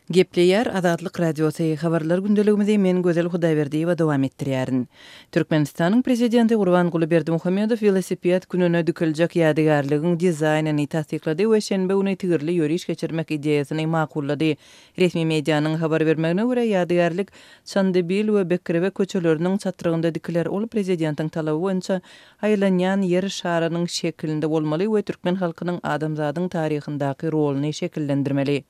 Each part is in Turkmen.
Gepleýär Azatlyk Radiosy, Habarlar gündeligimizi men Gözel Hudaýberdiýewa dowam etdirýärin. Türkmenistanyň Prezidenti Gurbanguly Berdimuhamedow welosiped gününe dikiljek ýadygärligiň dizaýnyny tassyklady we şenbe güni tigirli ýöriş geçirmek ideýasyny makullady. Resmi medianyň habar bermegine görä, ýadygärlik Çandybil we Bekrewe köçeleriniň çatrygynda dikiler, ol prezidentiň talaby boýunça aýlanýan Ýer şarynyň şekilinde bolmaly we türkmen halkynyň adamzadyň taryhyndaky roluny şekillendirmeli.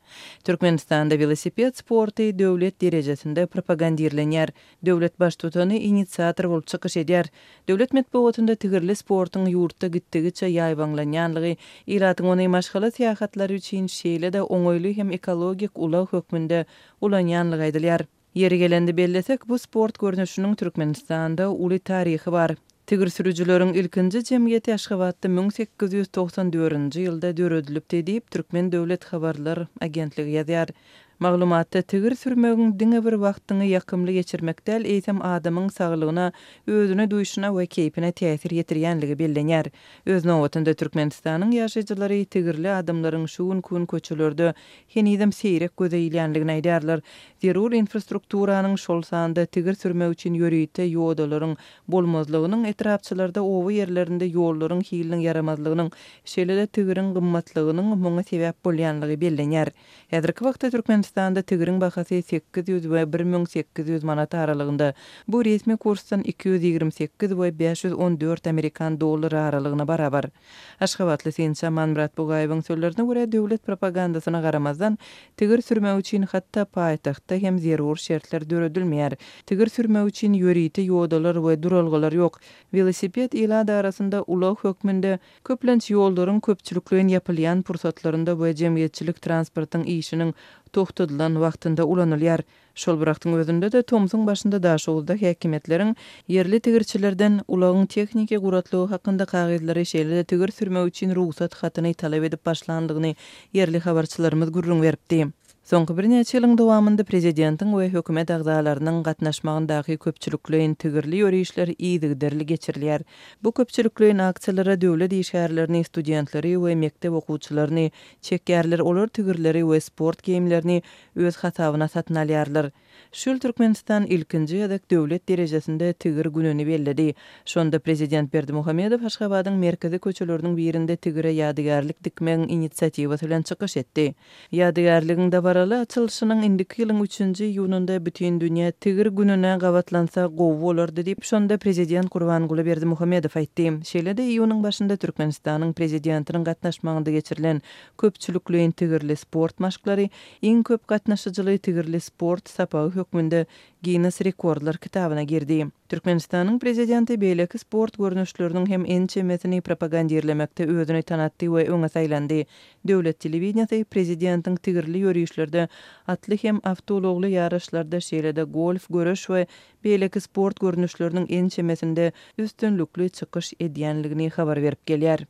Türkmenistanda welosiped sporty döwlet derejesinde propagandirlenýär. Döwlet Baştutany inisiator bolup çykyş edýär. Döwlet metbugatynda tigirli sportuň ýurtda gitdigiçe ýaýbaňlanýanlygy, ilatyň ony maşgala syýahatlary üçin şeýle-de oňaýly hem ekologik ulag hökmünde ulanýanlygy aýdylýar. Ýeri gelende bellesek, bu sport görnüşiniň Türkmenistanda uly taryhy bar. Tigir sürüjileriň ilkinji jemgyýeti Aşgabatda 1894-nji ýylda döredilipdi diýip, Türkmen döwlet habarlar agentligi ýazýar. Maglumatda tigir sürmegiň diňe bir wagtyňy ýakymly geçirmek däl, eýsem adamyň saglygyna, özüni duýşuna we keýpine täsir ýetirýänligi bellenýär. Öz nobatynda Türkmenistanyň ýaşaýjylary tigirli adamlaryň şu günki gün köçelerde henizem seýrek göze ilýänligini aýdýarlar. Zerur infrastrukturanyň, şol sanda tigir sürmek üçin ýörite ýodalaryň bolmazlygynyň, etrapçalarda, oba ýerlerinde ýollaryň hiliniň ýaramazlygynyň, şeýle-de tigiriň gymmatlygynyň muňa sebäp bolýanlygy bellenýär. Häzirki wagtda Türkmenistanda tigiriň bahasy 800 we 1800 manat aralygynda, bu resmi kursdan 228 we 514 amerikan dollary aralygyna barabar. Aşgabatly synçy Amanmyrat Bugaýewiň sözlerine görä, döwlet propagandasyna garamazdan, tigir sürmek üçin hatda paýtagtda hem zerur şertler döredilmeýär. Tigir sürmek üçin ýörite ýodalar we duralgalar ýok. Welosiped ilat arasynda ulag hökmünde, köplenç ýollaryň köpçülikleýin ýapylýan pursatlarynda we jemgyýetçilik transportyň işiniň togtadylan wagtynda ulanylýar. Şol bir wagtyň özünde-de, tomsuň başynda Daşoguzda häkimiýetleriň ýerli tigirçilerden ulagyň tehniki guratlygy hakynda kagyzlary, şeýle-de tigir sürmek üçin rugsat hatyny talap edip başlandygyny ýerli habarçylarymyz gürrüň beripdi. Soňky birnäçe ýylyň dowamynda prezidentiň we hökümet agzalarynyň gatnaşmagyndaky köpçülikleýin tigirli ýörişler yzygiderli geçirilýär. Bu köpçülikleýin aksiýalara döwlet işgärlerini, studentleri we mekdep okuwçylaryny çekýärler, olar tigirleri we sport geýimlerini öz hasabyna satyn alýarlar. Şu ýyl Türkmenistan ilkinji gezek döwlet derejesinde Tigir gününi belledi. Şonda prezident Berdimuhamedow Aşgabadyň merkezi köçeleriniň birinde tigire ýadygärlik dikmegiň inisiatiwasy bilen çykyş etdi. Ýadygärligiň dabaraly açylyşynyň indiki ýylyň üçünji iýunynda Bütindünýä Tigir gününe gabatlansa gowy bolardy diýip, şonda prezident Gurbanguly Berdimuhamedow aýtdy. Şeýle-de iýunyň başynda Türkmenistanyň Prezidentiniň gatnaşmagynda geçirilen Köpçülikleýin tigirli sport maşklary iň köp gatnaşyjyly tigirli sport sapagy hökmünde Ginnes rekordlar kitabyna girdi. Türkmenistanyň Prezidenti beýleki sport görnüşleriniň hem ençemesini propagandirlemekde özüni tanatdy we öňe saýlandy. Döwlet telewideniýesi Prezidentiň tigirli ýörişlerde, atly hem awtoulagly ýaryşlarda, şeýle-de golf, göreş we beýleki sport görnüşleriniň ençemesinde üstünlikli çykyş edýänligini habar berip gelýär.